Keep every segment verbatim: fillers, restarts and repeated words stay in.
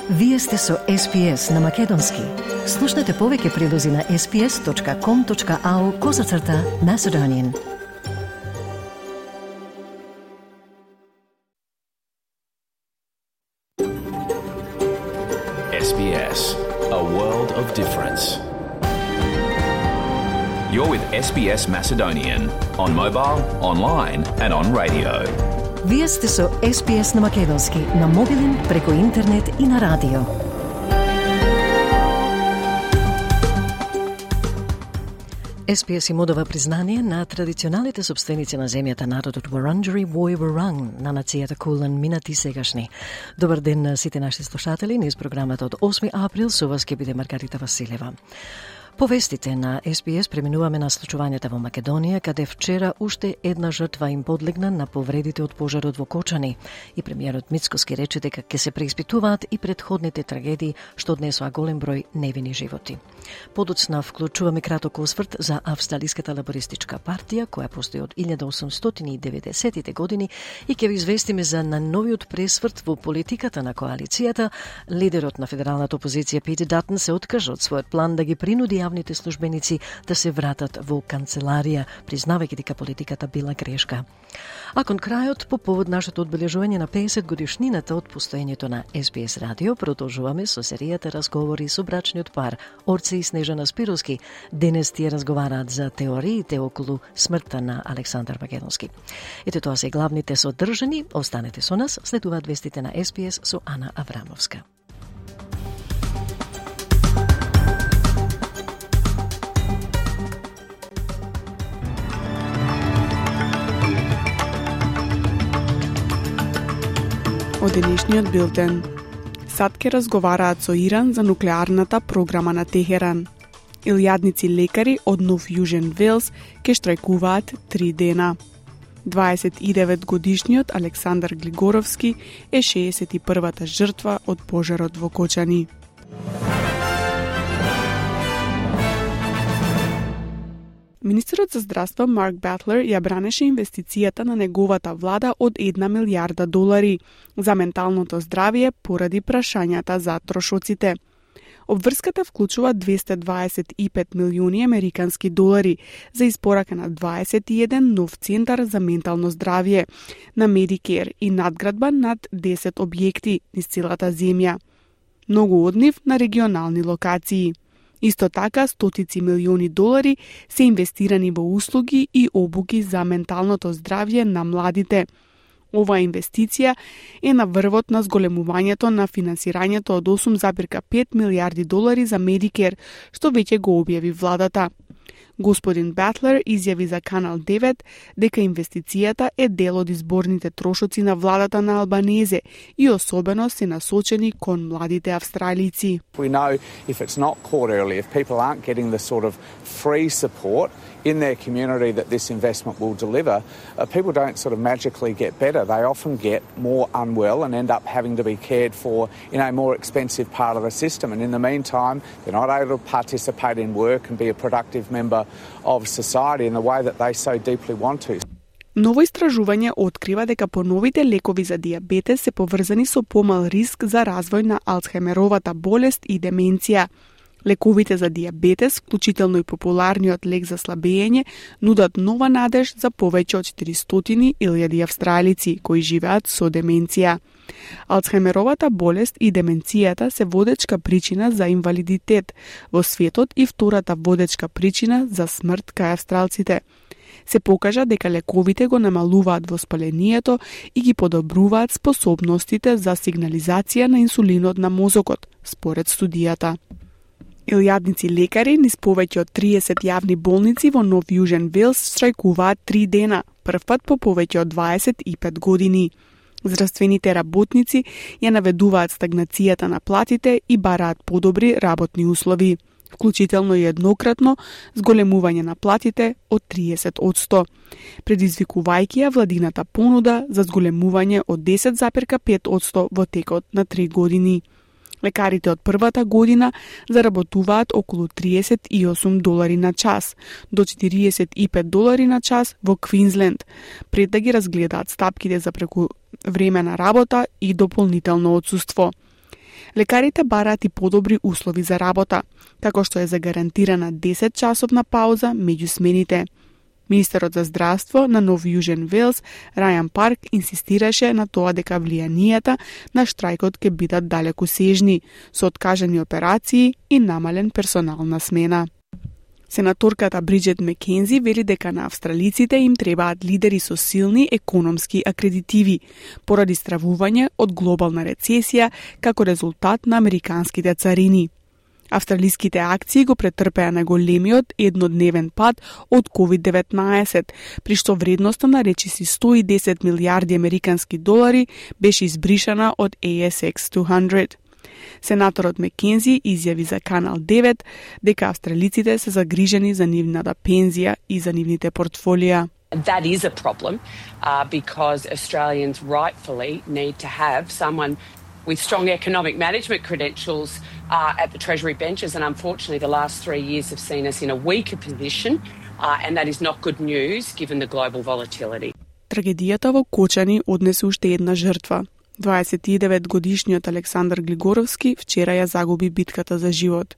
Вие сте со Ес Би Ес на Македонски. Слушнете повеќе прилози на ес би ес точка ком точка ау козацрта Macedonian. Ес Би Ес, a world of difference. You're with Ес Би Ес Macedonian on mobile, online and on radio. Вие сте со Ес Би Ес на Македонски, на мобилен, преку интернет и на радио. Ес Би Ес им одава признание на традиционалните собственици на земјата, народот Вуранџери Вој Вуранг, на нацијата Кулан, минати сегашни. Добар ден на сите наши слушатели, низ програмата од осми април, со вас ќе биде Маргарита Василева. По вестите на Ес Би Ес преминуваме на случувањата во Македонија, каде вчера уште една жртва им подлегна на повредите од пожарот во Кочани. И премиерот Мицкоски рече дека ќе се преиспитуваат и предходните трагедии што однесоа голем број невини животи. Подоцна вклучуваме краток осврт за Австралиската лабористичка партија, која постои од илјада осумстотини и деветдесетите години, и ќе ви известиме за најновиот пресврт во политиката на коалицијата. Лидерот на федералната опозиција Питер Датон се откажа од својот план да ги принуди јавните службеници да се вратат во канцеларија, признавајќи дека политиката била грешка. А кон крајот, по повод нашето одбележување на педесет годишнината од постоењето на Ес Би Ес радио, продолжуваме со серијата разговори со брачниот пар Орце и Снежана Спировски. Денес тие разговараат за теориите околу смртта на Александар Македонски. Ете, тоа се главните содржини. Останете со нас, следуваат вестите на Ес Би Ес со Ана Аврамовска. Од денешниот билтен. Сад ке разговараат со Иран за нуклеарната програма на Техеран. Илјадници лекари од Нов Јужен Велс ке штрајкуваат три дена. дваесет и девет годишниот Александар Глигоровски е шеесет и првата жртва од пожарот во Кочани. Министерот за здравство Марк Батлер ја бранеше инвестицијата на неговата влада од една милијарда долари за менталното здравје поради прашањата за трошоците. Обврската вклучува двесте дваесет и пет милиони американски долари за испорака на дваесет и еден нов центар за ментално здравје на Медикер и надградба над десет објекти низ целата земја. Многу од нив на регионални локации. Исто така, стотици милиони долари се инвестирани во услуги и обуки за менталното здравје на младите. Оваа инвестиција е на врвот на зголемувањето на финансирањето од осум зарез пет милијарди долари за Медикер, што веќе го објави владата. Господин Батлер изјави за Канал девет дека инвестицијата е дел од изборните трошоци на владата на Албанезе и особено се насочени кон младите австралици. We know if it's not caught early, if people aren't getting the sort of free support in their community that this investment will deliver, uh, people don't sort of magically get better. They often get more unwell and end up having to be cared for in a more expensive part of the system. And in the meantime, they're not able to participate in work and be a productive member of society in the way that they so deeply want to. Ново истражување открива дека поновите лекови за дијабетес се поврзани со помал риск за развој на Алцхаймеровата болест и деменција. Лековите за дијабетес, вклучително и популарниот лек за слабење, нудат нова надеж за повеќе од четиристотини илјади австралици кои живеат со деменција. Алцхаймеровата болест и деменцијата се водечка причина за инвалидитет во светот и втората водечка причина за смрт кај австралците. Се покажа дека лековите го намалуваат воспалението и ги подобруваат способностите за сигнализација на инсулинот на мозокот, според студијата. Илјадници лекари низ повеќе од триесет јавни болници во Нов Јужен Велс штрајкуваат три дена, првпат по повеќе од дваесет и пет години. Здравствените работници ја наведуваат стагнацијата на платите и бараат подобри работни услови, вклучително и еднократно зголемување на платите од триесет одсто, предизвикувајќи ја владината понуда за зголемување од десет зарез пет одсто во текот на три години. Лекарите од првата година заработуваат околу триесет и осум долари на час, до четириесет и пет долари на час во Квинсленд, пред да ги разгледаат стапките за преку време на работа и дополнително отсуство. Лекарите бараат и подобри услови за работа, како што е загарантирана десетчасовна пауза меѓу смените. Министерот за здравство на Нов Јужен Велс, Рајан Парк, инсистираше на тоа дека влијанијата на штрајкот ќе бидат далекосежни, со откажани операции и намален персонал на смена. Сенаторката Бриджет Мекензи вели дека на австралиците им требаат лидери со силни економски акредитиви, поради стравување од глобална рецесија како резултат на американските царини. Австралиските акции го претрпеа најголемиот еднодневен пад од ковид деветнаесет, при што вредноста на речиси сто и десет милијарди американски долари беше избришана од A S X two hundred. Сенаторот Мекензи изјави за Канал девет дека австралиците се загрижени за нивната пензија и за нивните портфолија. That is a problem uh, because Australians rightfully need to have someone with strong economic management credentials uh, at the Treasury benches, and unfortunately the last three years have seen us in a weaker position, uh, and that is not good news given the global volatility. Трагедијата во Кочани однесе уште една жртва. дваесет и девет годишниот Александар Глигоровски вчера ја загуби битката за живот.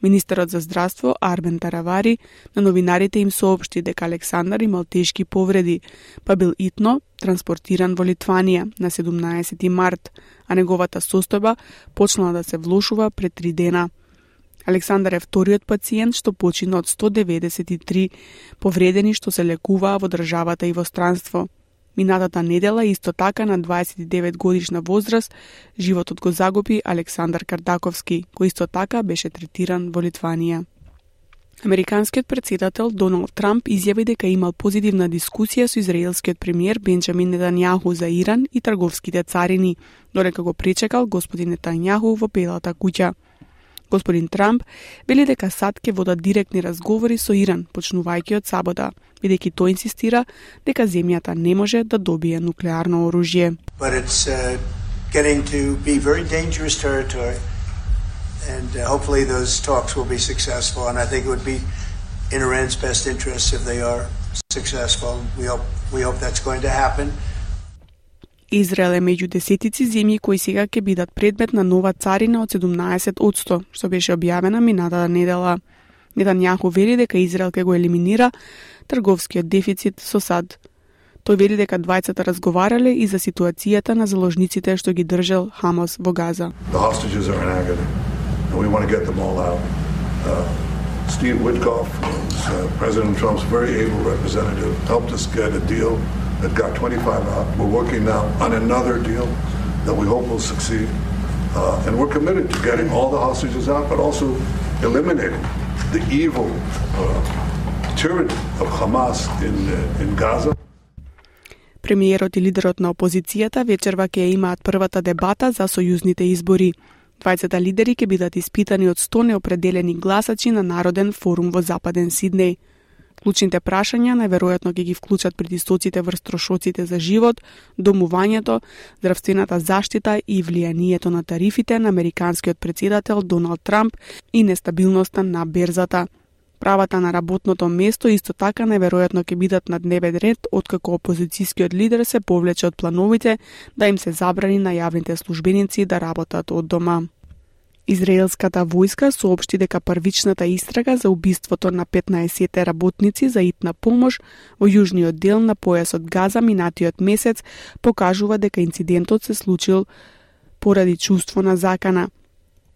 Министерот за здравство Арбен Таравари на новинарите им соопшти дека Александар имал тешки повреди, па бил итно транспортиран во Литванија на седумнаесети март, а неговата состојба почнала да се влошува пред три дена. Александар е вториот пациент што почина од сто деветдесет и три повредени што се лекуваа во државата и во странство. Минатата недела исто така на дваесет и девет годишна возраст животот го загуби Александар Кардаковски, кој исто така беше третиран во Литванија. Американскиот претседател Доналд Трамп изјави дека имал позитивна дискусија со израелскиот премиер Бенџамин Нетањаху за Иран и трговските царини, додека го пречекал господин Нетањаху во Белата куќа. Господин Трамп вели дека САД ќе водат директни разговори со Иран, почнувајќи од сабота, бидејќи тој инсистира дека земјата не може да добие нуклеарно оружје. But it's uh, getting to be very dangerous territory, and uh, hopefully those talks will be successful, and I think it would be in Iran's best interest if they are successful. We hope we hope that's going to happen. Израел е меѓу десетици земји кои сега ќе бидат предмет на нова царина од седумнаесет одсто, што беше објавена минатата недела. Нетањаху вели дека Израел ќе го елиминира трговскиот дефицит со САД. Тој вели дека двајцата разговарале и за ситуацијата на заложниците што ги држал Хамас во Газа. The hostages are in agony, and we want to get them all out. Uh, Steve Witkoff, uh, President Trump's very able representative, helped us get a deal that got twenty-five out. We're working now on another deal that we hope will succeed. Uh, and we're committed to getting all the hostages out, but also eliminating the evil uh, tyranny of Hamas in, uh, in Gaza. Премиерот и лидерот на опозицијата вечерва ќе имаат првата дебата за сојузните избори. Двајцата лидери ќе бидат испитани од сто неопределени гласачи на Народен форум во Западен Сиднеј. Клучните прашања најверојатно ќе ги вклучат притисоците врз трошоците за живот, домувањето, здравствената заштита и влијанието на тарифите на американскиот претседател Доналд Трамп и нестабилноста на берзата. Правата на работното место исто така најверојатно ќе бидат на дневен ред откако опозицијскиот лидер се повлече од плановите да им се забрани на јавните службеници да работат од дома. Израелската војска соопшти дека првичната истрага за убиството на петнаесет работници за итна помош во јужниот дел на појасот Газа минатиот месец покажува дека инцидентот се случил поради чувство на закана.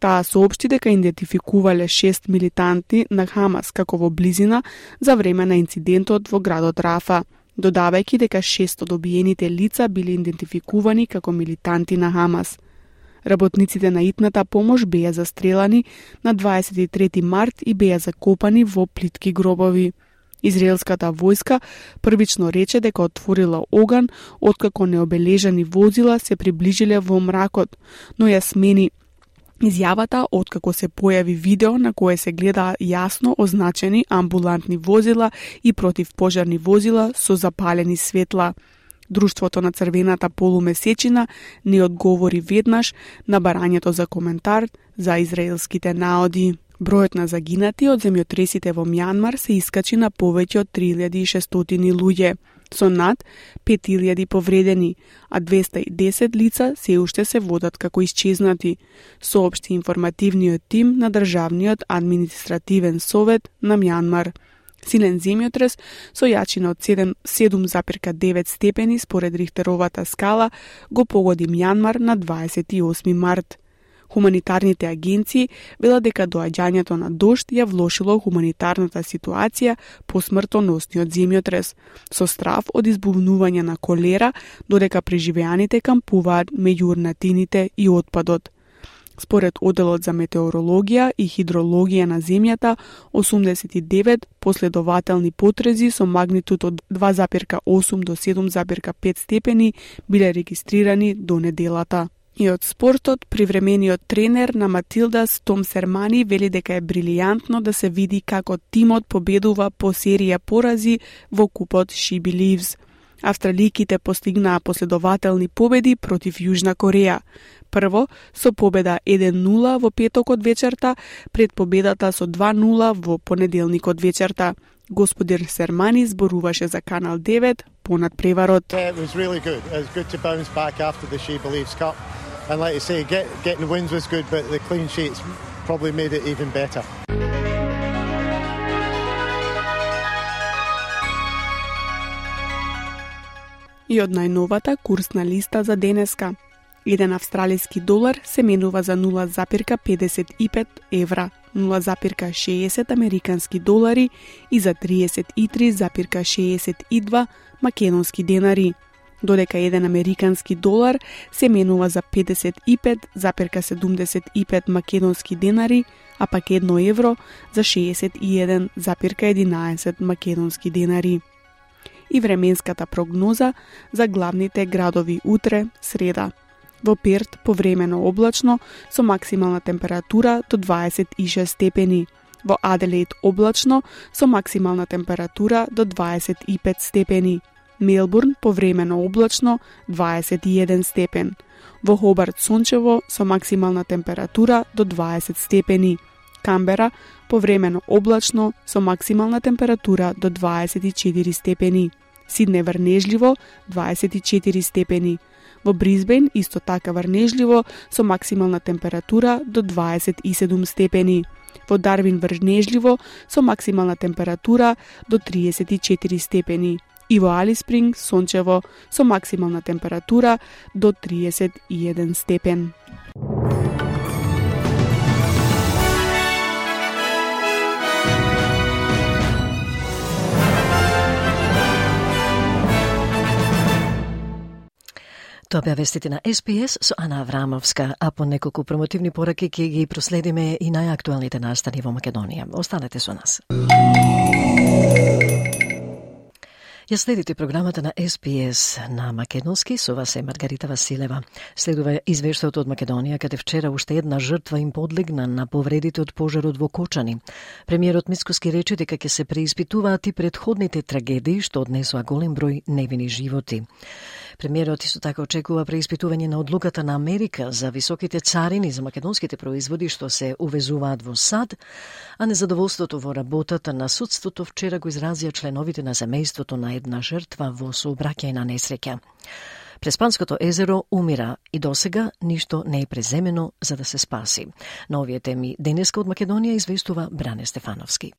Таа соопшти дека идентификувале шест милитанти на Хамас како во близина за време на инцидентот во градот Рафа, додавајќи дека шест од обиените лица биле идентификувани како милитанти на Хамас. Работниците на итната помош беа застрелани на дваесет и трети март и беа закопани во плитки гробови. Израелската војска првично рече дека отворила оган откако необележани возила се приближиле во мракот, но ја смени изјавата откако се појави видео на кое се гледа јасно означени амбулантни возила и противпожарни возила со запалени светла. Друштвото на Црвената полумесечина не одговори веднаш на барањето за коментар за израелските наоди. Бројот на загинати од земјотресите во Мјанмар се искачи на повеќе од три илјади и шестстотини луѓе, со над пет илјади повредени, а двеста и десет лица се уште се водат како исчезнати, соопшти информативниот тим на Државниот административен совет на Мјанмар. Силен земјотрес со јачина од седум запирка девет степени според Рихтеровата скала го погоди Мјанмар на дваесет и осми март. Хуманитарните агенции велат дека доаѓањето на дожд ја влошило хуманитарната ситуација по смртоносниот земјотрес, со страв од избувнување на колера, додека преживеаните кампуваат меѓу урнатините и отпадот. Според Оделот за метеорологија и хидрологија на земјата, осумдесет и девет последователни потрези со магнитуд од два запирка осум до седум запирка пет степени биле регистрирани до неделата. И од спортот, привремениот тренер на Матилдас Том Сермани вели дека е брилијантно да се види како тимот победува по серија порази во купот She Believes. Австралијките постигнаа последователни победи против Јужна Кореја. Прво со победа еден нула во петокот вечерта, пред победата со два нула во понеделникот вечерта. Господир Сермани зборуваше за Канал девет понад преварот. Yeah, it was really good. It was good to bounce back after the She Believes Cup. And like you say, get, getting wins was good, but the clean sheets probably made it even better. И од најновата курсна листа за денеска. Еден австралиски долар се менува за нула запирка педесет и пет евра, нула запирка шеесет американски долари и за триесет и три запирка шеесет и два македонски денари, додека еден американски долар се менува за педесет и пет запирка седумдесет и пет македонски денари, а пак едно евро за шеесет и еден запирка единаесет македонски денари. И временската прогноза за главните градови утре, среда. Во Перт повремено облачно со максимална температура до дваесет и шест степени. Во Аделаид облачно со максимална температура до дваесет и пет степени. Мелбурн повремено облачно дваесет и еден степен. Во Хобарт сончево со максимална температура до дваесет степени. Камбера повремено облачно со максимална температура до дваесет и четири степени. Сидне врнежливо дваесет и четири степени. Во Брисбен исто така врнежливо со максимална температура до дваесет и седум степени. Во Дарвин врнежливо со максимална температура до триесет и четири степени. И во Алис Спринг сончево со максимална температура до триесет и еден степен. Тоа беа вестите на Ес Би Ес со Ана Аврамовска, а по неколку промотивни пораки ќе ги проследиме и најактуелните настани во Македонија. Останете со нас. Ја следите програмата на Ес Би Ес на македонски, со вас е Маргарита Василева. Следува извештајот од Македонија, каде вчера уште една жртва им подлегна на повредите од пожарот во Кочани. Премиерот Мицкоски рече дека ќе се преиспитуваат и претходните трагедии што однесоа голем број невини животи. Премиерот исто така очекува преиспитување на одлуката на Америка за високите царини за македонските производи што се увезуваат во САД, а незадоволството во работата на судството вчера го изразија членовите на семејството на една жртва во сообраќајна несреќа. Преспанското езеро умира и досега ништо не е преземено за да се спаси. На овие теми денеска од Македонија известува Бране Стефановски.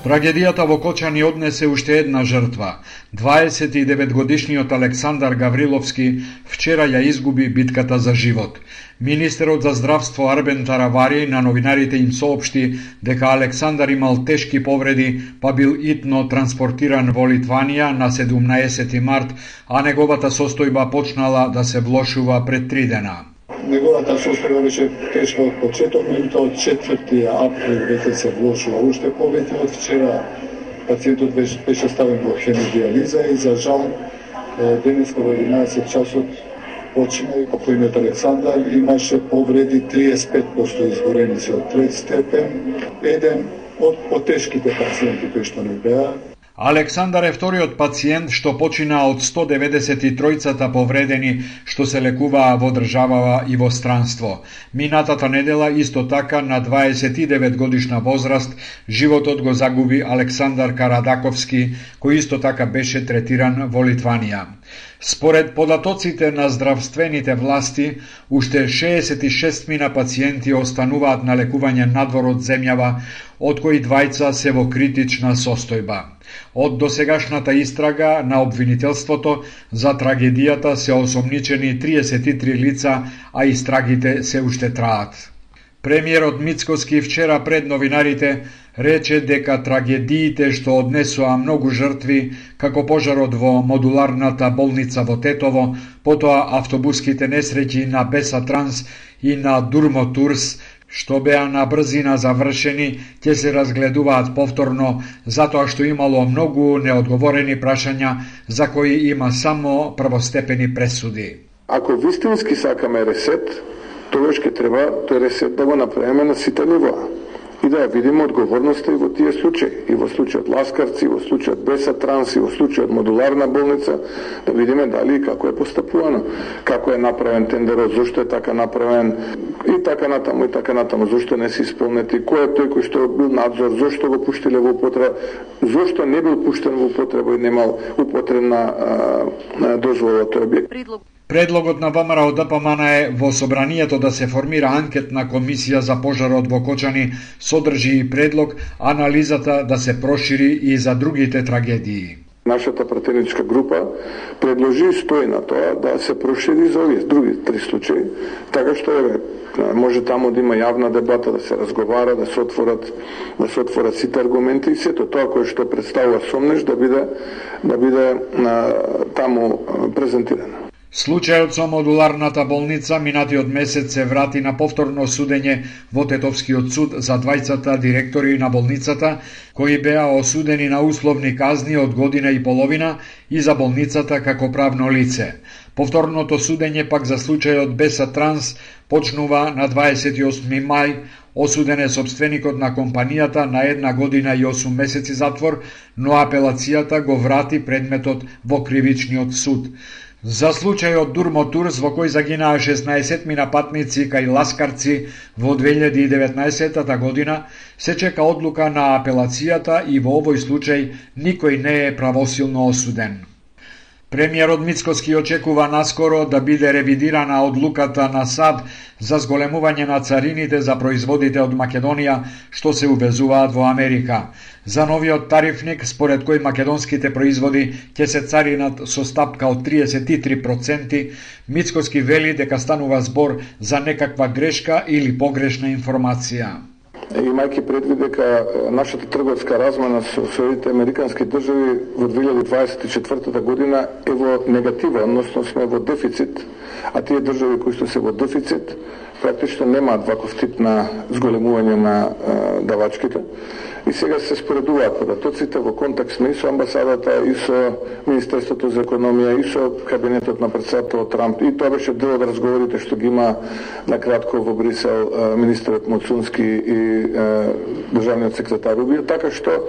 Трагедијата во Кочани однесе уште една жртва. дваесет и девет годишниот Александар Гавриловски вчера ја изгуби битката за живот. Министерот за здравство Арбен Таравари на новинарите им соопшти дека Александар имал тешки повреди, па бил итно транспортиран во Литванија на седумнаесети март, а неговата состојба почнала да се влошува пред три дена. Неговата состојба беше тешка од почеток, меѓутоа од четврти април веќе се влошува уште повеќе. Од вчера пациентот беше, беше ставен во хемодиализа и за жал денеска во единаесет часот почина и покојниот Александар имаше повреди триесет и пет проценти изгорени се од трети степен. Еден од потешките пациенти кои што не беа. Александар е вториот пациент што почина од сто деветдесет и тројцата повредени што се лекуваа во државава и во странство. Минатата недела исто така на дваесет и девет годишна возраст животот го загуби Александар Карадаковски, кој исто така беше третиран во Литванија. Според податоците на здравствените власти, уште шеесет и шест мина пациенти остануваат на лекување надвор од земјава, од кои двајца се во критична состојба. Од досегашната истрага на обвинителството за трагедијата се осомничени триесет и три лица, а истрагите се уште траат. Премиерот Мицкоски вчера пред новинарите рече дека трагедиите што однесоа многу жртви, како пожарот во модуларната болница во Тетово, потоа автобуските несреќи на Беса Транс и на Дурмо Турс, што беа на брзина завршени, ќе се разгледуваат повторно, затоа што имало многу неодговорени прашања за кои има само првостепени пресуди. Ако вистински сакаме ресет, тогаш ќе треба тој ресет да го направиме на сите нивоа и да ја видиме одговорноста и во тие случаи, и во случајот Ласкарци, и во случајот Беса Транс, и во случајот модуларна болница, да видиме дали и како е постапувано, како е направен тендерот, зошто е така направен и така натаму и така натаму, зошто не се исполнети, кој е тој кој што бил надзор, зошто го пуштиле во употреба, зошто не бил пуштен во употреба и немал употребна дозвола тој објект. Предлогот на ВМРО Д П М Н е во собранието да се формира анкетна комисија за пожарот во Кочани, содржи и предлог анализата да се прошири и за другите трагедии. Нашата пратеничка група предложи и стои на тоа да се прошири за овие други три случаи, така што е може таму да има јавна дебата, да се разговара, да се отворат, да се отворат сите аргументи и сето тоа кое што представува сомнеш да биде да биде на, таму презентирано. Случајот со модуларната болница минатиот месец се врати на повторно судење во Тетовскиот суд за двајцата директори на болницата, кои беа осудени на условни казни од година и половина и за болницата како правно лице. Повторното судење пак за случајот Беса Транс почнува на дваесет и осми мај, осуден е собственикот на компанијата на една година и осум месеци затвор, но апелацијата го врати предметот во кривичниот суд. За случајот Дурмо Турс, во кој загинаа шеснаесет мина патници кај Ласкарци во две илјади и деветнаесетта година, се чека одлука на апелацијата и во овој случај никој не е правосилно осуден. Премиерот Мицкоски очекува наскоро да биде ревидирана одлуката на САД за зголемување на царините за производите од Македонија што се увезуваат во Америка. За новиот тарифник, според кој македонските производи ќе се царинат со стапка од триесет и три проценти, Мицкоски вели дека станува збор за некаква грешка или погрешна информација. Имајќи предвид дека нашата трговска размена со Соединетите американски држави во две илјади дваесет и четвртата година е во негатива, односно сме во дефицит, а тие држави кои што се во дефицит практично немаат ваков тип на зголемување на а, давачките. И сега се споредуваат податоците, во контакт сме и со амбасадата, и со Министерството за економија, и со кабинетот на председателот Трамп. И тоа беше дел од разговорите што ги има накратко во Брисел министерот Моцунски и државниот секретар Рубио, така што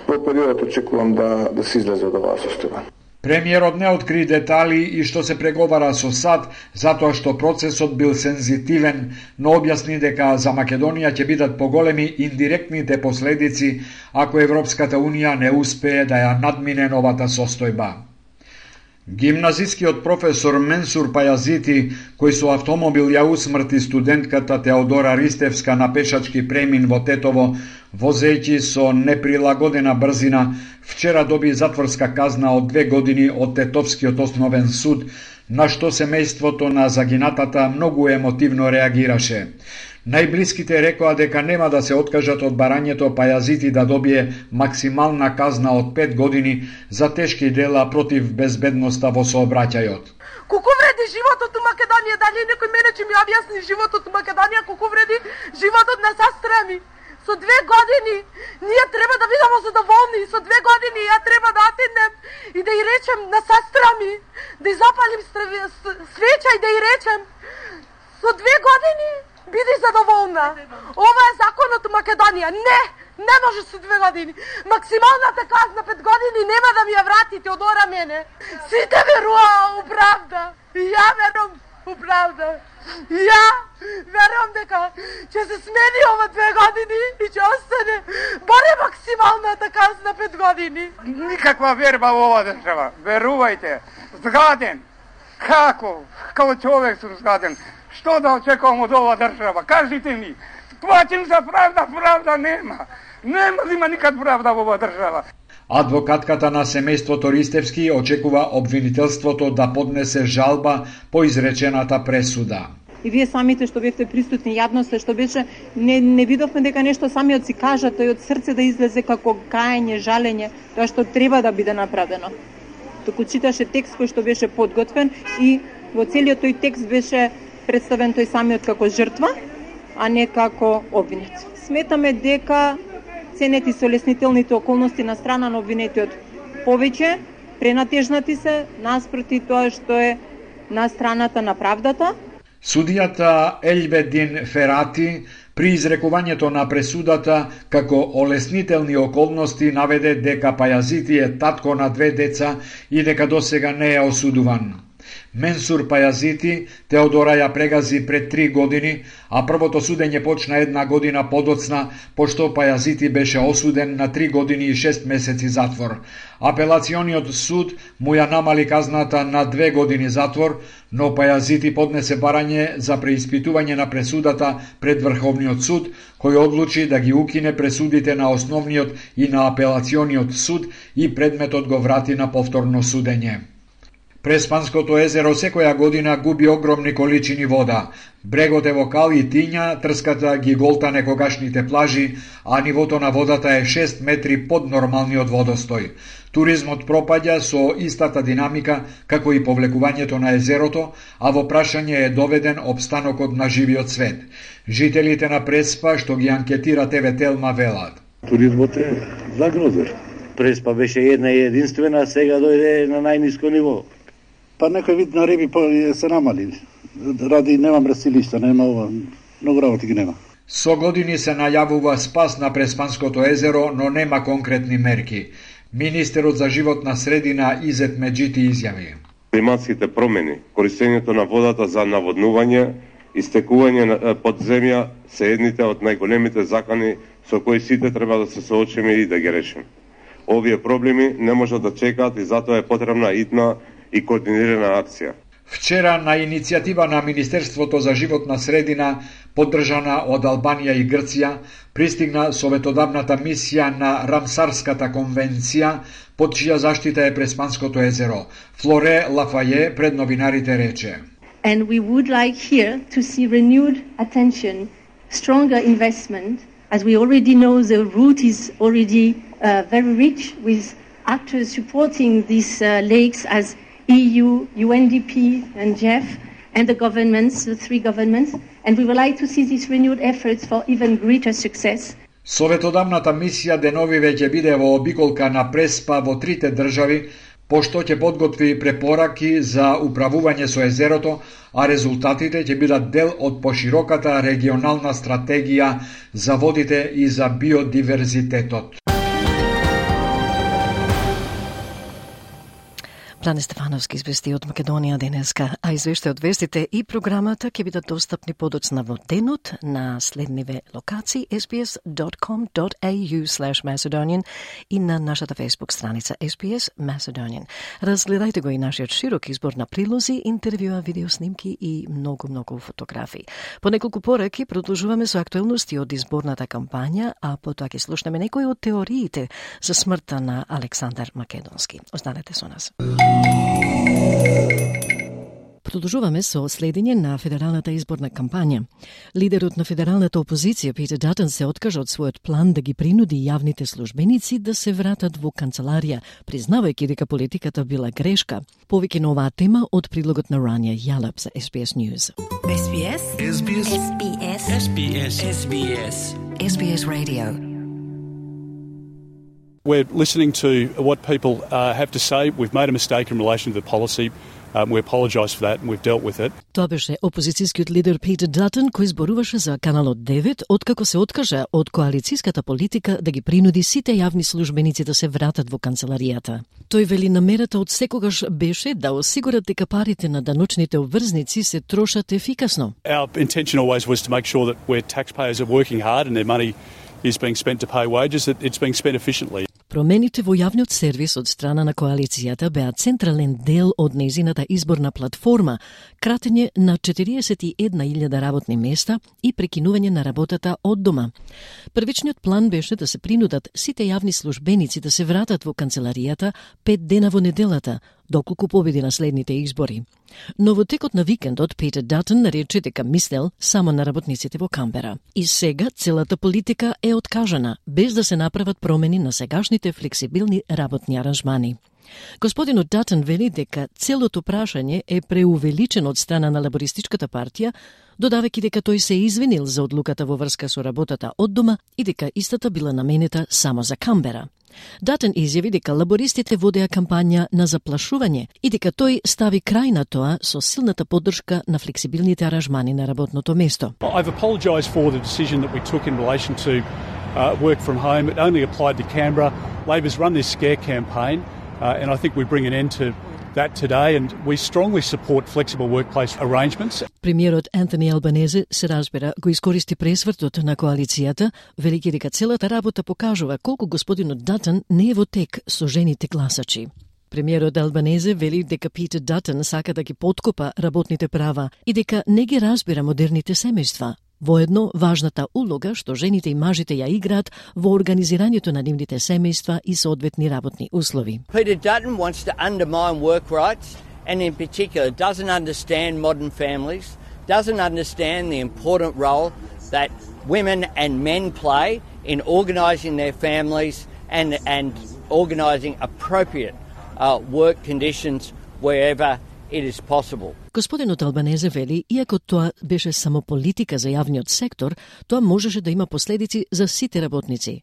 во периодот очекувам да, да се излезе од оваа состојба. Премиерот не откри детали и што се преговара со САД, затоа што процесот бил сензитивен, но објасни дека за Македонија ќе бидат поголеми индиректните последици ако Европската Унија не успее да ја надмине новата состојба. Гимназискиот професор Менсур Пајазити, кој со автомобил ја усмрти студентката Теодора Ристевска на пешачки премин во Тетово, возејќи со неприлагодена брзина, вчера доби затворска казна од две години од Тетовскиот основен суд, на што семејството на загинатата многу емотивно реагираше. Најблиските рекоа дека нема да се откажат од барањето Пајазити да добие максимална казна од пет години за тешки дела против безбедноста во сообраќајот. Колку вреди животот у Македонија? Дали некој мене ќе ми објасни животот у Македонија, колку вреди животот на сестра ми? Со две години ние треба да бидеме задоволни, со две години ја треба да отидем и да ја речем на сестра ми, да ја запалим свеча и да ја речем со две години биди задоволна. Ова е законот у Македонија. Не, Не може со две години. Максималната казна пет години нема да ми ја вратите од ора мене. Сите веруваа у правда. И ја верувам у правда. И ја верувам дека ќе се смени ова две години и ќе остане барем максималната казна пет години. Никаква верба во ова држава. Верувајте. Згаден. Како? Како човек сум згаден. Што да очекувам од ова држава? Кажите ми. Плачем за правда, правда нема. Нема да има никад правда во ова држава. Адвокатката на семејството Ристевски очекува обвинителството да поднесе жалба по изречената пресуда. И вие самите што бевте присутни, јавноста што беше, не, не видовме дека нешто самиот си кажа, тој од срце да излезе како каење, жалење, тоа што треба да биде направено. Току читаше текст кој што беше подготвен и во целиот тој текст беше представен тој самиот како жртва, а не како обвинет. Сметаме дека ценет и солеснителните околности на страна на обвинетиот повеќе пренатежнати се наспроти тоа што е на страната на правдата. Судијата Елбедин Ферати при изрекувањето на пресудата како олеснителни околности наведе дека Пајазити е татко на две деца и дека досега не е осудуван. Менсур Пајазити Теодора ја прегази пред три години, а првото судење почна една година подоцна, пошто Пајазити беше осуден на три години и шест месеци затвор. Апелациониот суд му ја намали казната на две години затвор, но Пајазити поднесе барање за преиспитување на пресудата пред Врховниот суд, кој одлучи да ги укине пресудите на основниот и на апелациониот суд и предметот го врати на повторно судење. Преспанското езеро секоја година губи огромни количини вода. Брегот е во кал и тиња, трската ги голта некогашните плажи, а нивото на водата е шест метри под нормалниот водостој. Туризмот пропаѓа со истата динамика како и повлекувањето на езерото, а во прашање е доведен опстанокот на живиот свет. Жителите на Преспа, што ги анкетира Те Ве Телма, велат: туризмот е загрозен. Преспа беше една и единствена, сега дојде на најниско ниво. Па некој вид на риби се намали. Ради нема мресилишта, нема ова, многу работи ги нема. Со години се најавува спас на Преспанското езеро, но нема конкретни мерки. Министерот за животна средина Изет Меджити изјави: климатските промени, користењето на водата за наводнување, истекување под земја се едните од најголемите закани со кои сите треба да се соочиме и да ги решиме. Овие проблеми не можат да чекаат и затоа е потребна итна и координирана акција. Вчера на иницијатива на Министерството за животна средина, поддржана од Албанија и Грција, пристигна советодавната мисија на Рамсарската конвенција, под чија заштита е Преспанското езеро. Флоре Лафаје пред новинарите рече: And we would like here to see renewed attention, stronger investment, as we already know the route is already uh, very rich with actors supporting these uh, lakes as E U, U N D P and J E F and the governments, the three governments, and we would like to see these renewed efforts for even greater success. Советодавната мисија денови веќе биде во обиколка на Преспа во трите држави, пошто ќе подготви препораки за управување со езерото, а резултатите ќе бидат дел од пошироката регионална стратегија за водите и за биодиверзитетот. Плане Стефановски извести од Македонија денеска, а извеште од вестите и програмата ќе бидат достапни подоцна во денот на следниве локации ес би ес dot com dot a u slash macedonian и на нашата фейсбук страница ес би ес Macedonian. Разгледајте го и нашиот широк избор на прилози, интервјуа, видеоснимки и многу-многу фотографии. По неколку пораки продолжуваме со актуелности од изборната кампања, а потоа ќе слушнеме некои од теориите за смртта на Александар Македонски. Останете со нас. Продолжуваме со следење на федералната изборна кампања. Лидерот на федералната опозиција Питер Датън се откажа од својот план да ги принуди јавните службеници да се вратат во канцеларија, признавајќи дека политиката била грешка. Повеќе на оваа тема од прилогот на Рания Јалап за ес би ес News. ес би ес ес би ес ес би ес ес би ес ес би ес ес би ес Radio. We're listening to what people uh, have to say. We've made a mistake in relation to the policy. Um, we apologise for that and we've dealt with it. Тоа беше опозицијскиот лидер Питер Датон, кој зборуваше за Каналот девет, откако се откажа од коалицијската политика да ги принуди сите јавни службеници да се вратат во канцеларијата. Тој вели намерата од секогаш беше да осигурат дека парите на даночните обврзници се трошат ефикасно. Our intention always was to make sure that where taxpayers are working hard and their money is being spent to pay wages, that it's being spent efficiently. Промените во јавниот сервис од страна на коалицијата беа централен дел од нејзината изборна платформа, кратење на четириесет и една илјада работни места и прекинување на работата од дома. Првичниот план беше да се принудат сите јавни службеници да се вратат во канцеларијата пет дена во неделата, доколку победи на следните избори. Но во текот на викендот Питер Датон нарече дека мислел само на работниците во Камбера. И сега целата политика е откажана, без да се направат промени на сегашните флексибилни работни аранжмани. Господинот Датон вели дека целото прашање е преувеличено од страна на лабористичката партија, додавајќи дека тој се извинил за одлуката во врска со работата од дома и дека истата била наменета само за Камбера. Датон изјави дека лабористите водеа кампања на заплашување и дека тој стави крај на тоа со силната поддршка на флексибилните аранжмани на работното место. I've apologised for the decision that we took in relation to uh, work from home. It only applied to Canberra. Labor's run this scare campaign uh, and I think we bring an end to that today and we strongly support flexible workplace arrangements. Премиерот Антони Албанезе се разбира го искористи пресвртот на коалицијата, велики дека целата работа покажува колку господинот Датон не е во тек со жените гласачи. Премиерот Албанезе вели дека Питер Датон сака да ги подкопа работните права и дека не ги разбира модерните семејства. Воедно, важната улога што жените и мажите ја играат во организирањето на нивните семејства и соодветни работни услови. Peter Dutton wants to undermine work rights and in particular doesn't understand modern families, doesn't understand the important role that women and men play in organising their families and, and organising appropriate uh, work conditions wherever it is possible. Господинот Албанезе вели, иако тоа беше само политика за јавниот сектор, тоа можеше да има последици за сите работници.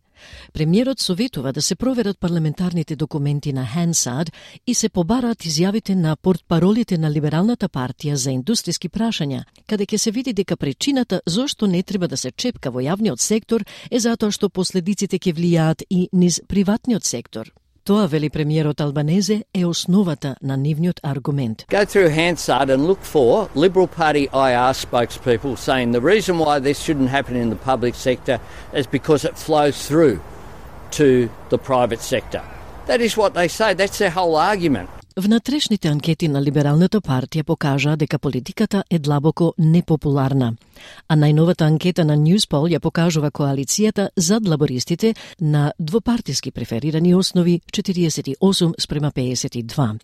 Премиерот советува да се проверат парламентарните документи на Хансад и се побараат изјавите на портпаролите на Либералната партија за индустријски прашања, каде ќе се види дека причината зошто не треба да се чепка во јавниот сектор е затоа што последиците ќе влијаат и низ приватниот сектор. Тоа, вели премиерот Албанезе, е основата на нивниот аргумент. Go through Hansard and look for Liberal Party I R spokespeople saying the reason why this shouldn't happen in the public sector is because it flows through to the private sector. That is what they say. That's their whole argument. Внатрешните анкети на Либералната партија покажаа дека политиката е длабоко непопуларна, а најновата анкета на Newspoll ја покажува коалицијата зад лабористите на двопартиски преферирани основи четириесет и осум спрема пеесет и два.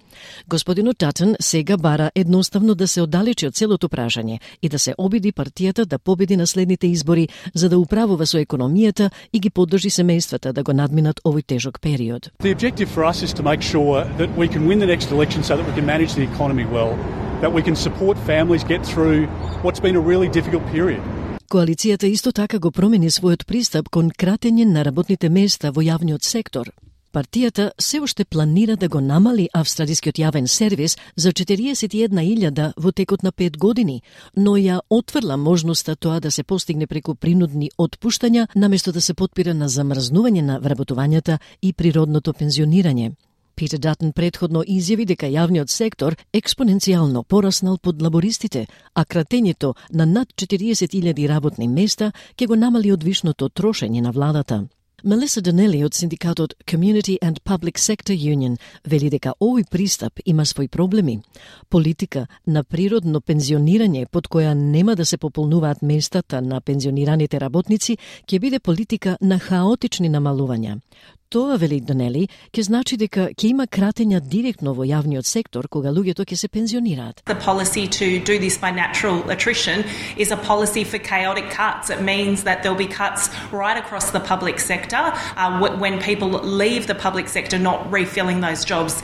Господинот Датон сега бара едноставно да се оддалечи од целото прашање и да се обиди партијата да победи на следните избори за да управува со економијата и ги поддржи семејствата да го надминат овој тежок период. The objective for us is to make sure that we can win the next election so that we can manage the economy well, that we can support families get through what's been a really difficult period. Коалицијата исто така го промени својот пристап кон кратење на работните места во јавниот сектор. Партијата се уште планира да го намали австралискиот јавен сервис за четириесет и една илјада во текот на пет години, но ја отврла можноста тоа да се постигне преку принудни отпуштања, наместо да се потпира на замрзнување на вработувањата и природното пензионирање. Питер Датон претходно изјави дека јавниот сектор експоненцијално пораснал под лабористите, а кратењето на над четириесет илјади работни места ќе го намали одвишното трошење на владата. Мелиса Данели од синдикатот Community and Public Sector Union вели дека овој пристап има своји проблеми. Политика на природно пензионирање под која нема да се пополнуваат местата на пензионираните работници ќе биде политика на хаотични намалувања. Тоа, вели Данели, ќе значи дека ќе има кратења директно во јавниот сектор кога луѓето ќе се пензионираат. The policy to do this by natural attrition is a policy for chaotic cuts. It means that there'll be cuts right across the public sector uh, when people leave the public sector not refilling those jobs.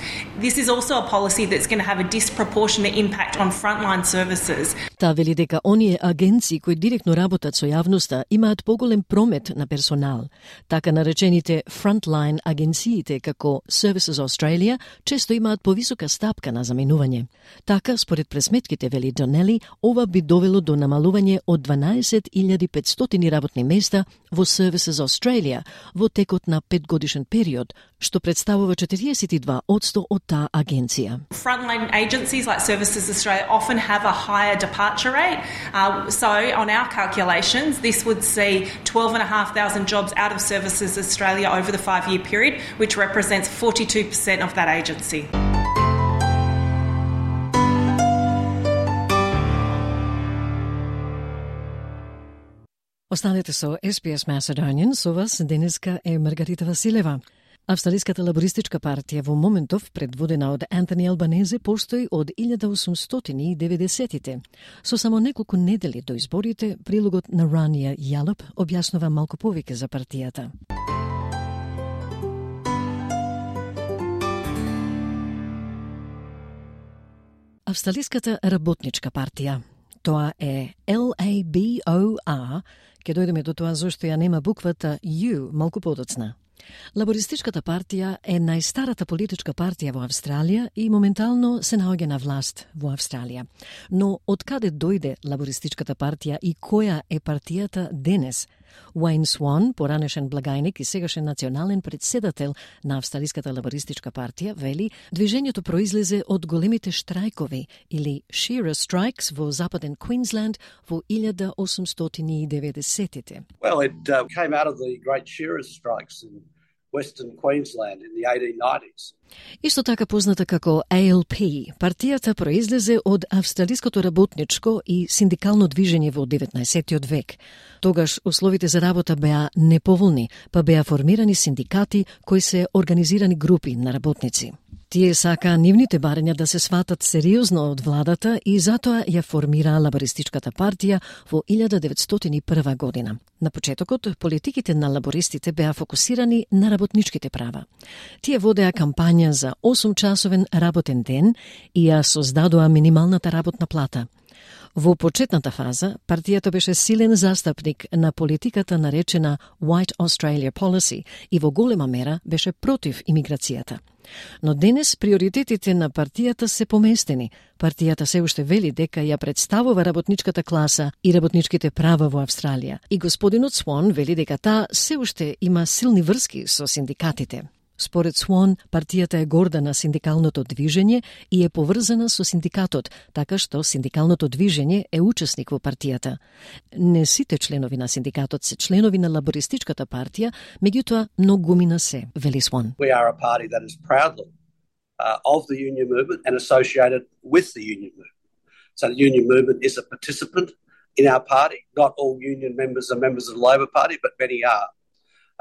This is also a policy that's going to have a disproportionate impact on frontline services. Таа вели дека оние агенции кои директно работат со јавноста имаат поголем промет на персонал. Така наречените frontline Frontline агенциите како Services Australia често имаат повисока стапка на заменување. Така, според пресметките, вели Донели, ова би довело до намалување од дванаесет илјади и петстотини работни места во Services Australia во текот на петгодишен период, што представува четириесет и два одсто од таа агенција. Frontline agencies like Services Australia often have a higher departure rate. Uh, so on our calculations, this would see twelve and a half thousand jobs out of Services Australia over the five-year period, which represents forty-two percent of that agency. Останете со Ес Би Ес Macedonian, со вас денеска е Маргарита Василева. Австралиската лабористичка партија во моментов, предводена од Антони Албанезе, постои од илјада осумстотини и деветдесетите. Со само неколку недели до изборите, прилогот на Рания Јалоп објаснува малку повеќе за партијата. Австралиската работничка партија. Тоа е Л А Б О А, ке дојдеме до тоа зашто ја нема буквата U малку подоцна. Лабористичката партија е најстарата политичка партија во Австралија и моментално се наоѓа на власт во Австралија. Но од каде дојде лабористичката партија и која е партијата денес? Уајн Сван, поранешен благајник и сегашен национален председател на Австралиската лабористичка партија, вели, движењето произлезе од големите штрајкови или Shearer Strikes во западен Квинсленд во илјада осумстотини и деветдесетите. Well, it uh, came out of the great Shearer Strikes in Western Queensland in the eighteen nineties. Исто така позната како А Л П, партијата произлезе од австралиското работничко и синдикално движење во деветнаесеттиот век. Тогаш условите за работа беа неповолни, па беа формирани синдикати кои се организирани групи на работници. Тие сака нивните барања да се сватат сериозно од владата и затоа ја формираа лабористичката партија во илјада деветстотини и прва година. На почетокот, политиките на лабористите беа фокусирани на работничките права. Тие водеа кампања за осумчасовен работен ден и ја создадоа минималната работна плата. Во почетната фаза, партијата беше силен застапник на политиката наречена White Australia Policy и во голема мера беше против имиграцијата. Но денес приоритетите на партијата се поместени. Партијата се уште вели дека ја представува работничката класа и работничките права во Австралија. И господинот Сван вели дека таа се уште има силни врски со синдикатите. Според Сван, партијата е горда на синдикалното движење и е поврзана со синдикатот, така што синдикалното движење е учесник во партијата. Не сите членови на синдикатот се членови на лабористичката партија, меѓутоа многумина се, вели Сван. We are a party that is proudly uh, of the union movement and associated with the union movement. So the union movement is a participant in our party. Not all union members are members of the Labor Party, but many are.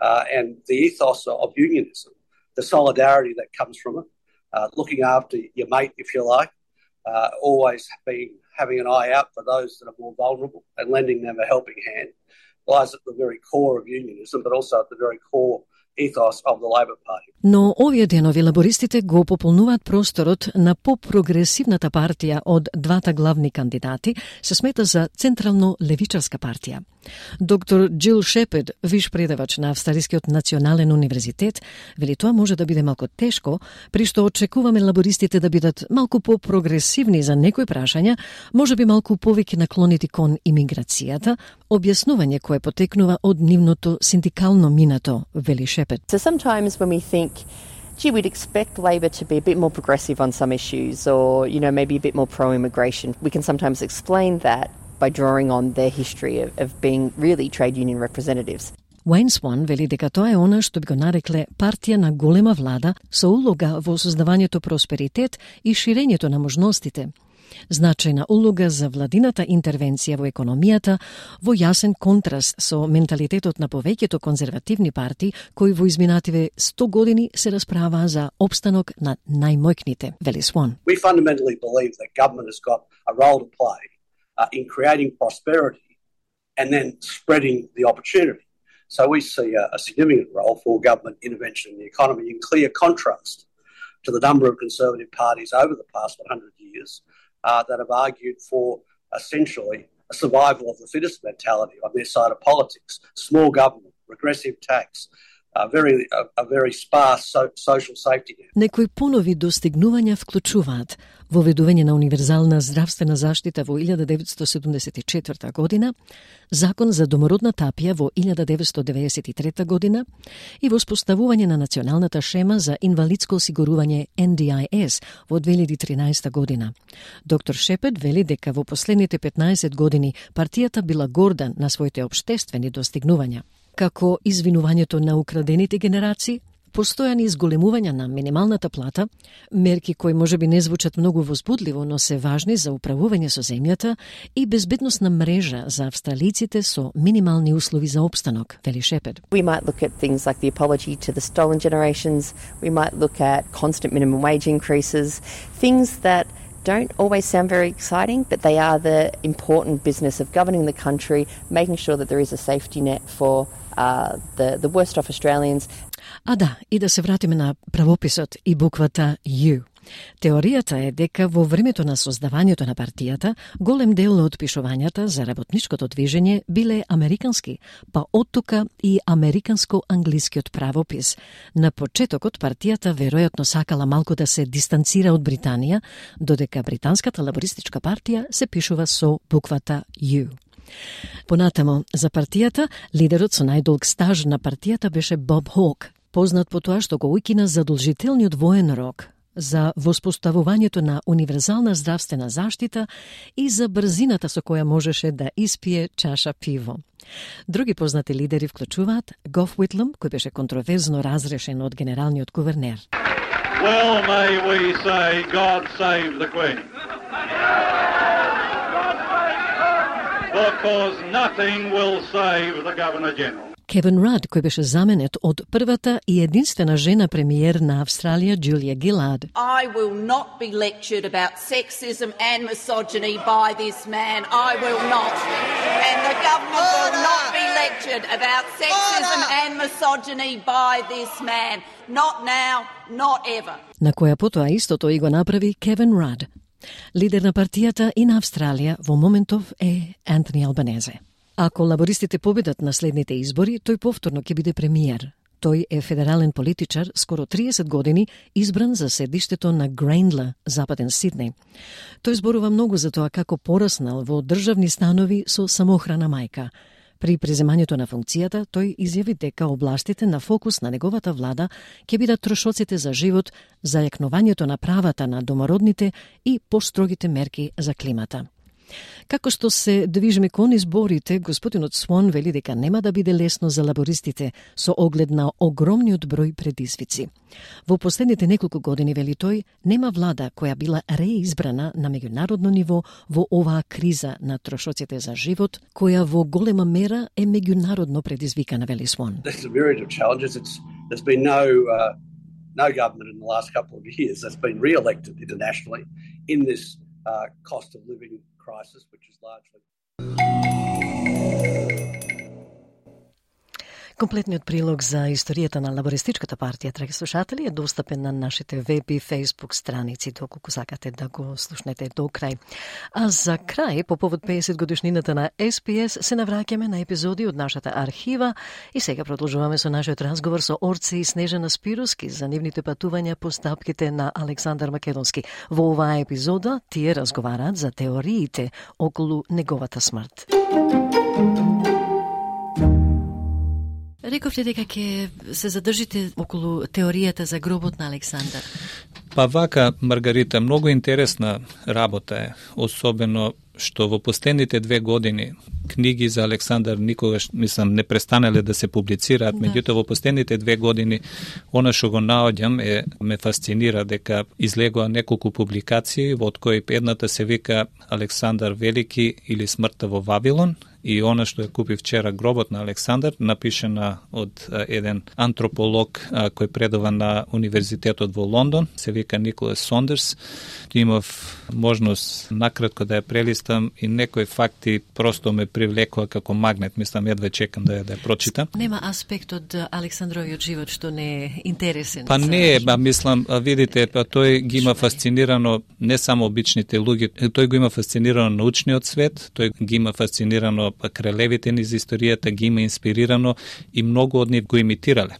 Uh, and the ethos of unionism, the solidarity that comes from it, uh, looking after your mate, if you like, uh, always being having an eye out for those that are more vulnerable and lending them a helping hand, lies at the very core of unionism, but also at the very core ethos of the Labor Party. Но овие денови лабористите го пополнуваат просторот на по-прогресивната партија од двата главни кандидати, се смета за централно левичарска партија. Доктор Джил Шепард, виш предавач на Австралискиот национален универзитет, вели тоа може да биде малку тешко, при што очекуваме лабористите да бидат малку по-прогресивни за некои прашања, може би малку повеќе наклонети кон имиграцијата, објаснување кое потекнува од нивното синдикално минато, вели Шепард. So sometimes when we think, gee, we'd expect Labor to be a bit more progressive on some issues or, you know, maybe a bit more pro-immigration, we can sometimes explain that by drawing on their history of, of being really trade union representatives. Уајн Сван вели дека тоа е она што би го нарекле партија на голема влада со улога во создавањето просперитет и ширењето на можностите. Значајна улога за владината интервенција во економијата, во јасен контраст со менталитетот на повеќето конзервативни партии кои во изминативе сто години се расправаа за опстанок на најмојкните, вели Сван. We fundamentally believe that government has got a role to play uh, in creating prosperity and then spreading the opportunity. So we see a, a significant role for government intervention in the economy in clear contrast to the number of Conservative parties over the past one hundred years uh, that have argued for essentially a survival of the fittest mentality on their side of politics, small government, regressive tax, a very a, a very sparse so, social safety net. Некои понови достигнувања вклучуваат воведување на универзална здравствена заштита во илјада деветстотини седумдесет и четврта година, закон за домородна тапија во илјада деветстотини деведесет и трета година и воспоставување на националната шема за инвалидско осигурување Н Д I S во две илјади и тринаесетта година. Доктор Шепет вели дека во последните петнаесет години партијата била горда на своите општествени достигнувања, како извинувањето на украдените генерации, постојани изголемувања на минималната плата, мерки кои можеби не звучат многу возбудливо, но се важни за управување со земјата и безбедносна мрежа за австралиците со минимални услови за опстанок, вели Шепет. We might look at things like the apology to the stolen generations. We might look at constant minimum wage increases, things that don't always sound very exciting, but they are the important business of governing the country, making sure that there is a safety net for uh, the, the worst off Australians. А да, и да се вратиме на правописот и буквата U. Теоријата е дека во времето на создавањето на партијата, голем дел од пишувањата за работничкото движење биле американски, па оттука и американско-англискиот правопис. На почетокот партијата веројатно сакала малку да се дистанцира од Британија, додека британската лабористичка партија се пишува со буквата U. Понатамо, за партијата, лидерот со најдолг стаж на партијата беше Боб Хок, познат по тоа што го уикина задолжителниот воен рок, за воспоставувањето на универзална здравствена заштита и за брзината со која можеше да испие чаша пиво. Други познати лидери вклучуваат Гоф Уитлам, кој беше контроверзно разрешен од генералниот гувернер. Well, may we say, God save the Queen. Because nothing will save the Governor-General. Кевин Рад, кој беше заменет од првата и единствена жена премиер на Австралија, Джулија Гилард. I will not be lectured about sexism and misogyny by this man. I will not. And the government will not be lectured about sexism and misogyny by this man. Not now, not ever. На која потоа истото и го направи Кевин Рад. Лидер на партијата и на Австралија во моментов е Антони Албанезе. Ако лабористите победат на следните избори, тој повторно ќе биде премиер. Тој е федерален политичар, скоро триесет години, избран за седиштето на Грейндла, западен Сиднеј. Тој зборува многу за тоа како пораснал во државни станови со самоохрана мајка. При преземањето на функцијата, тој изјави дека областите на фокус на неговата влада ќе бидат трошоците за живот, зајакнувањето на правата на домородните и построгите мерки за климата. Како што се движиме кон изборите, господинот Свон вели дека нема да биде лесно за лабористите со оглед на огромниот број предизвици. Во последните неколку години, вели тој, нема влада која била реизбрана на меѓународно ниво во оваа криза на трошоците за живот, која во голема мера е меѓународно предизвикана, вели Свон. There's a myriad of challenges. It's, there's been no uh, no government in the last couple of years that's been re-elected internationally in this uh, cost of living crisis, which is largely... Комплетниот прилог за историјата на лабористичката партија, драги слушатели, е достапен на нашите веб и фейсбук страници, доколку сакате да го слушнете до крај. А за крај, по повод педесет годишнината на Ес Би Ес, се навраќаме на епизоди од нашата архива и сега продолжуваме со нашиот разговор со Орце и Снежана Спируски за нивните патувања по стапките на Александар Македонски. Во оваа епизода тие разговараат за теориите околу неговата смрт. Рековте дека ќе се задржите околу теоријата за гробот на Александар. Па вака, Маргарита, многу интересна работа е, особено што во последните две години книги за Александар никогаш, мислам, не престанале да се публицираат, да. Меѓутоа во последните две години она што го наоѓам е ме фасцинира дека излегоа неколку публикации, во од кои едната се вика Александар Велики или смртта во Вавилон, и она што ја купи вчера Гробот на Александар, напишена од а, еден антрополог а, кој предава на Универзитетот во Лондон, се вика Николас Сондерс. Имав можност накратко да ја прелистам и некои факти просто ме привлекоа како магнет, мислам едва чекам да ја да ја прочитам. Нема аспект од Александровиот живот што не е интересен. Па не е, ба мислам, видите, па тој ги има фасцинирано не само обичните луѓе, тој го има фасцинирано научниот свет, тој ги има фасцинирано кралевите низ историјата, ги има инспирирано и многу од нив го имитирале.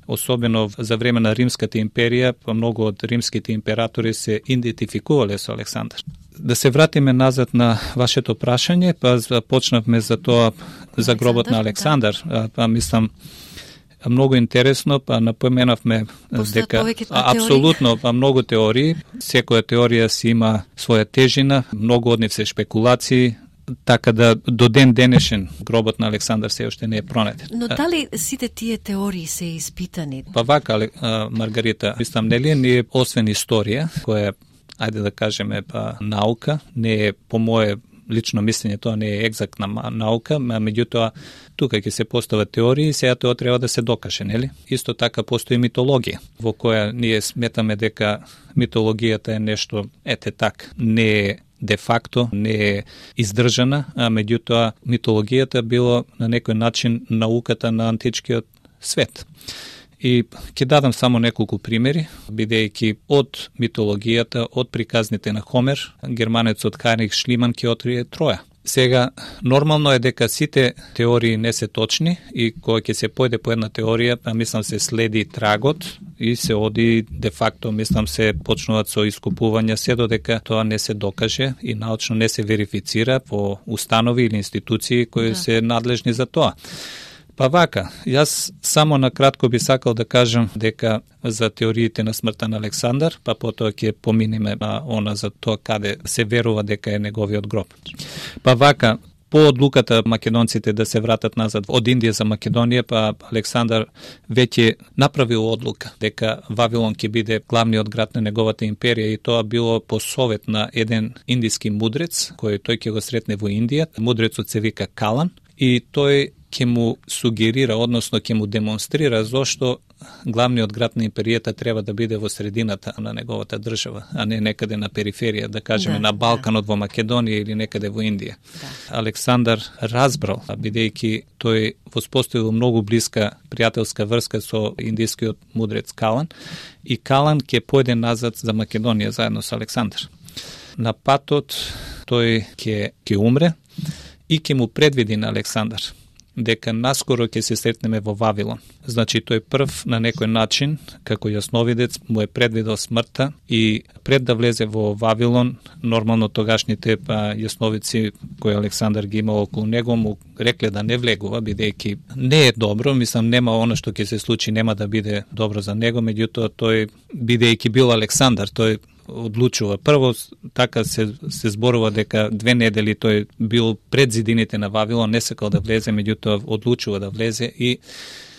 особено за време на Римската империја, па многу од римските императори се идентификувале со Александар. Да се вратиме назад на вашето прашање, па почнавме за тоа за гробот на Александар, да. Па мислам многу интересно, па напоменавме дека апсолутно па многу теории, секоја теорија си има своја тежина, многу од нив се шпекулации, така да до ден денешен гробот на Александар се уште не е пронет. Но дали сите тие теории се испитани? Па вака, Маргарита, мислам, нели ние освен историја, која, ајде да кажеме, па наука, не е по моје лично мислење, тоа не е екзактна наука, меѓутоа тука ќе се постават теории, сега тоа треба да се докаже, нели? Исто така постои митологија, во која ние сметаме дека митологијата е нешто ете так, не е де факто, не е издржана, а меѓутоа митологијата било на некој начин науката на античкиот свет. И ќе дадам само неколку примери, бидејќи од митологијата, од приказните на Хомер, германецот Хайнрих Шлиман ќе открие Троја. Сега, нормално е дека сите теории не се точни и кога ќе се појде по една теорија, па мислам се следи трагот и се оди де факто, мислам се почнуваат со искупувања се додека тоа не се докаже и научно не се верифицира по установи или институции кои да. се надлежни за тоа. Па вака, јас само на кратко би сакал да кажам дека за теориите на смртта на Александар, па потоа ќе поминеме на она за тоа каде се верува дека е неговиот гроб. Па вака, по одлуката македонците да се вратат назад од Индија за Македонија, па Александар веќе направил одлука дека Вавилон ќе биде главниот град на неговата империја и тоа било по совет на еден индиски мудрец кој тој ќе го сретне во Индија. Мудрецот се вика Калан и тој ќе му сугерира, односно ќе му демонстрира зошто главниот град на империјата треба да биде во средината на неговата држава, а не некаде на периферија, да кажеме да, на Балканот да. во Македонија или некаде во Индија. Да. Александар разбрал, бидејќи тој воспоставил многу блиска пријателска врска со индискиот мудрец Калан и Калан ќе појде назад за Македонија заедно со Александар. На патот тој ќе ќе умре и ќе му предвиди на Александар дека наскоро ќе се сретнеме во Вавилон. Значи, тој прв на некој начин, како јасновидец, му е предвидел смртта и пред да влезе во Вавилон, нормално тогашните па, јасновици кои Александар ги имал околу него, му рекле да не влегува, бидејќи не е добро, мислам, нема оно што ќе се случи, нема да биде добро за него, меѓутоа тој, бидејќи бил Александар, тој одлучува. Прво, така се, се зборува дека две недели тој бил пред зидините на Вавилон, не сакал да влезе, меѓутоа одлучува да влезе и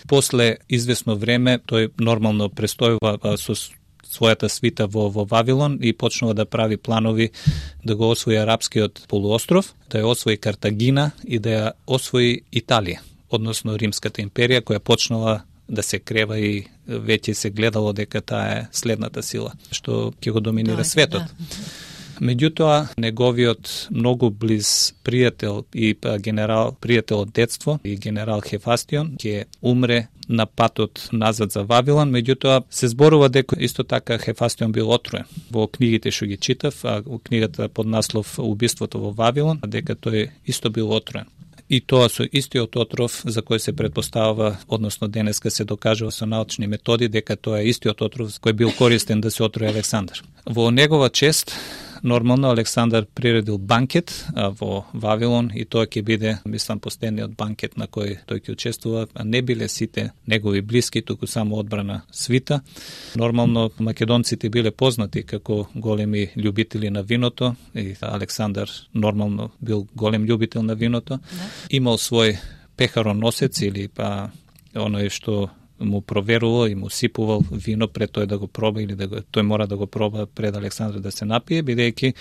после известно време тој нормално престојува со својата свита во, во Вавилон и почнува да прави планови да го освои арапскиот полуостров, да ја освои Картагина и да ја освои Италија, односно Римската империја која почнала да се крева и веќе се гледало дека таа е следната сила што ќе го доминира светот. Меѓутоа, неговиот многу близ пријател и генерал, пријател од детство и генерал Хефастион ќе умре на патот назад за Вавилон, меѓутоа се зборува дека исто така Хефастион бил отруен. Во книгите што ги читав, а во книгата под наслов Убиството во Вавилон, дека тој исто бил отруен. И тоа со истиот отров за кој се предпоставува, односно денеска се докажува со научни методи дека тоа е истиот отров кој бил користен да се отруи Александар. Во негова чест нормално Александар приредил банкет во Вавилон и тоа ќе биде, мислам, последниот банкет на кој тој ќе учествува, а не биле сите негови блиски, туку само одбрана свита. Нормално македонците биле познати како големи љубители на виното и Александар нормално бил голем љубител на виното. Имал свој пехароносец или па оној што му проверувал и му сипувал вино пред тој да го проба или да го, тој мора да го проба пред Александар да се напие, бидејќи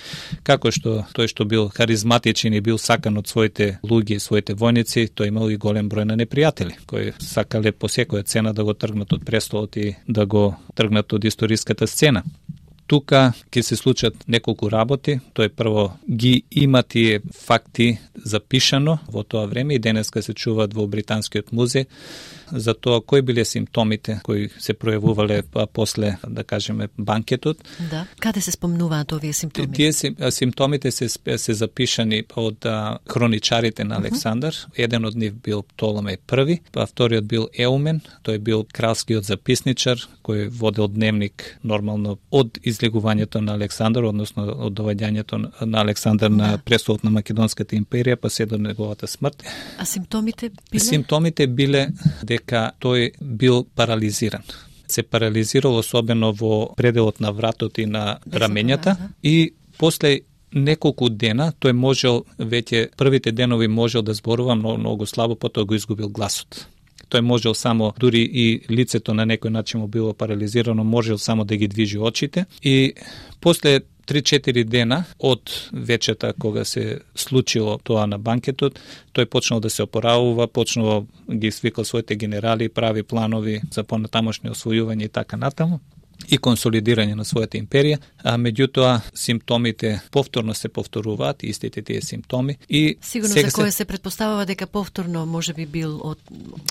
како што тој што бил харизматичен и бил сакан од своите луѓе и своите војници, тој имал и голем број на непријатели кои сакале по секоја цена да го тргнат од престолот и да го тргнат од историската сцена. Тука ќе се случат неколку работи. Тој прво ги има тие факти запишано во тоа време и денеска се чуваат во Британскиот музеј. за тоа кои биле симптомите кои се пројавувале па после, да кажеме, банкетот. Да. Каде се спомнуваат овие симптоми? Тие симптомите се се запишани од а, хроничарите на Александар. Uh-huh. Еден од нив бил Птоломеј први, па вториот бил Еумен, тој бил кралскиот записничар кој водел дневник нормално од излегувањето на Александар, односно од доваѓањето на Александар на престолот на Македонската империја, па се до неговата смрт. А симптомите биле? Симптомите биле дека тој бил парализиран. Се парализирал особено во пределот на вратот и на рамењата и после неколку дена тој можел веќе првите денови можел да зборува многу, многу слабо, потоа го изгубил гласот. Тој можел само, дури и лицето на некој начин му било парализирано, можел само да ги движи очите и после три-четири дена од вечерта кога се случило тоа на банкетот, тој почнал да се опоравува, почнал ги свикал своите генерали, прави планови за понатамошни освојување и така натаму и консолидирање на својата империја, а меѓутоа симптомите повторно се повторуваат, истите тие симптоми и сигурно за кој се... се предпоставува дека повторно можеби бил од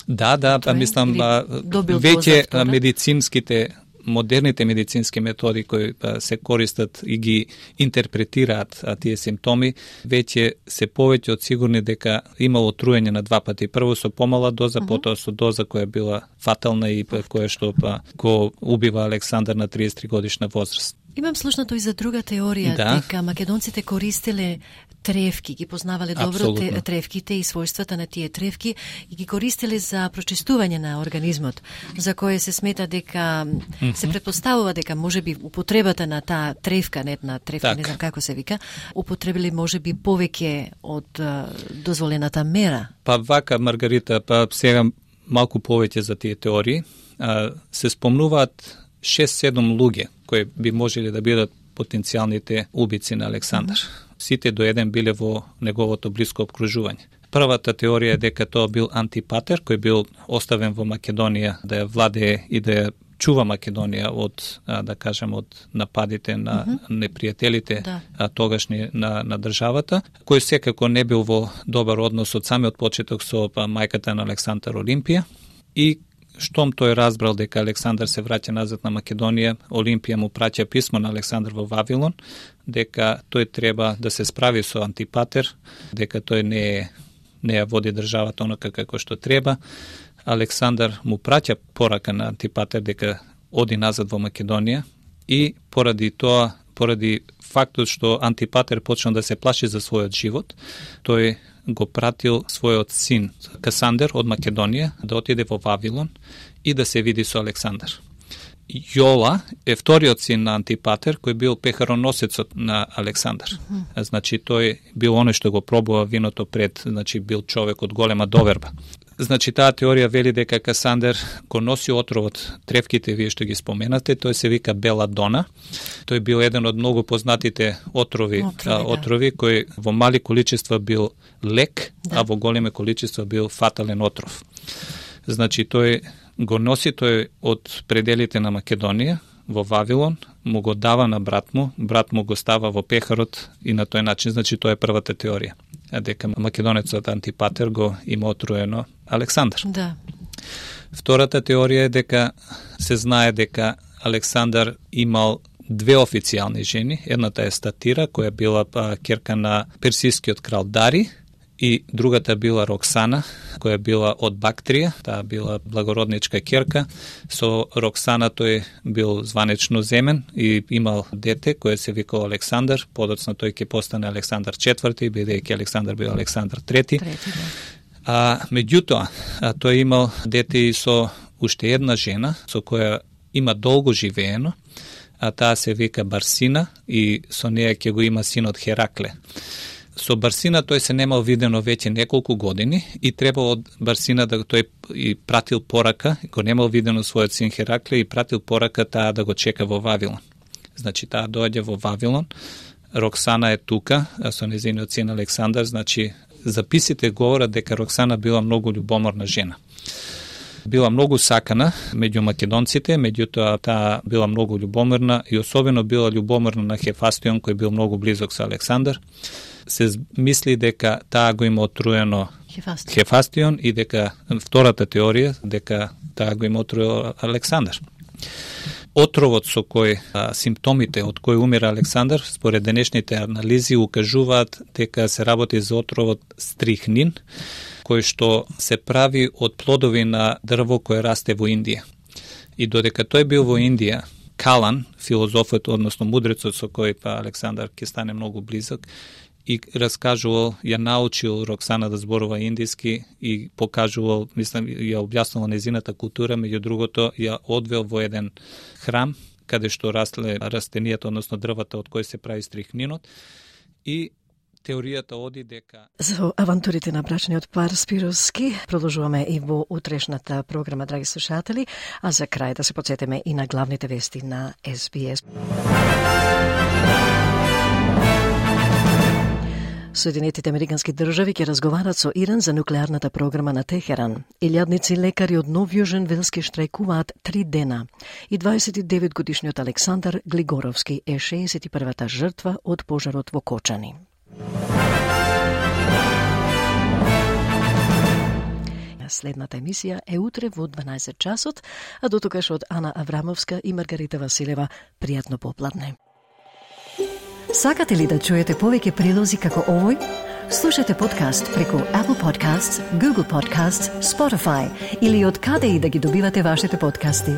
Да, да, па мислам веќе медицинските модерните медицински методи кои се користат и ги интерпретираат а, тие симптоми, веќе се повеќе од сигурни дека имало труење на два пати. Прво со помала доза, uh-huh. потоа со доза која била фатална и која што па, го убива Александар на триесет и три годишна возраст. Имам слушнато и за друга теорија, да. дека македонците користеле тревки, ги познавале добро те, тревките и својствата на тие тревки и ги користеле за прочистување на организмот, за кое се смета дека mm-hmm. се претпоставува дека можеби употребата на таа тревка, не една тревка, так. не знам како се вика, употребили можеби повеќе од uh, дозволената мера. Па вака, Маргарита, па сега малку повеќе за тие теории. А, се спомнуваат шест-седум луѓе кои би можеле да бидат потенцијалните убици на Александар. Mm-hmm. Сите до еден биле во неговото блиско обкружување. Првата теорија е дека тоа бил Антипатер, кој бил оставен во Македонија да ја владее и да ја чува Македонија од, да кажем, од нападите на mm-hmm. непријателите да. тогашни на, на државата, кој секако не бил во добар однос од самиот почеток со па, мајката на Александар Олимпија и штом тој разбрал дека Александар се враќа назад на Македонија, Олимпија му праќа писмо на Александар во Вавилон, дека тој треба да се справи со Антипатер, дека тој не е, не ја води државата онака како што треба. Александар му праќа порака на Антипатер дека оди назад во Македонија и поради тоа, поради фактот што Антипатер почна да се плаши за својот живот, тој го пратил својот син Касандер од Македонија да отиде во Вавилон и да се види со Александар. Јола е вториот син на Антипатер, кој бил пехароносецот на Александар. Mm-hmm. Значи, тој бил оној што го пробува виното пред, значи, бил човек од голема доверба. Значи, таа теорија вели дека Касандер го носи отровот, тревките, вие што ги споменате, тој се вика беладона. Тој бил еден од многу познатите отрови, отрови, а, отрови да. кој во мали количества бил лек, да. а во големи количества бил фатален отров. Значи, тој го носи тој од пределите на Македонија во Вавилон, му го дава на брат му, брат му го става во пехарот и на тој начин, значи, тоа е првата теорија. Дека македонецот Антипатер го има отруено Александар. Да. Втората теорија е дека се знае дека Александар имал две официјални жени. Едната е Статира, која била па, керка на персискиот крал Дари, и другата била Роксана, која била од Бактрија, таа била благородничка керка. Со Роксана тој бил званечно земен и имал дете кој се викал Александар, подоцна тој ќе постане Александар четврти, бидејќи Александар бил Александар трети. трети да. А меѓутоа, тој имал дете и со уште една жена, со која има долго живеено, а таа се вика Барсина и со неја ќе го има синот Херакле. Со Барсина тој се немал видено веќе неколку години и требало од Барсина да тој и пратил порака, го немал видено својот син Херакле и пратил порака таа да го чека во Вавилон. Значи таа доаѓа во Вавилон, Роксана е тука, а со незиниот син Александар, значи записите говорат дека Роксана била многу љубоморна жена. Била многу сакана меѓу македонците, меѓутоа таа била многу љубоморна и особено била љубоморна на Хефастион кој бил многу близок со Александар. Се мисли дека таа го има отруено Хефастион. Хефастион и дека втората теорија дека таа го има отровил Александар. Отровот со кој а, симптомите од кој умира Александар, според денешните анализи укажуваат дека се работи за отровот стрихнин, кој што се прави од плодови на дрво кое расте во Индија. И додека тој бил во Индија, Калан, филозофот, односно мудрецот со кој па Александар ќе стане многу близок, и раскажувал, ја научил Роксана да зборува индиски и покажувал, мислам, ја објаснувал незината култура, меѓу другото ја одвел во еден храм, каде што растле растенијата, односно дрвата од кој се прави стрихнинот, и теоријата оди дека... За авантурите на брачниот пар Спировски продолжуваме и во утрешната програма, драги слушатели, а за крај да се подсетиме и на главните вести на Ес Би Ес. Соединетите американски држави ќе разговарат со Иран за нуклеарната програма на Техеран. Илјадници лекари од Нов Јужен Велски штрајкуваат три дена. И дваесет и девет годишниот Александар Глигоровски е шеесет и првата жртва од пожарот во Кочани. Следната емисија е утре во дванаесет часот, а до тогаш од Ана Аврамовска и Маргарита Василева пријатно попладне. Сакате ли да чуете повеќе прилози како овој? Слушате подкаст преку Apple Podcasts, Google Podcasts, Spotify или од каде и да ги добивате вашите подкасти.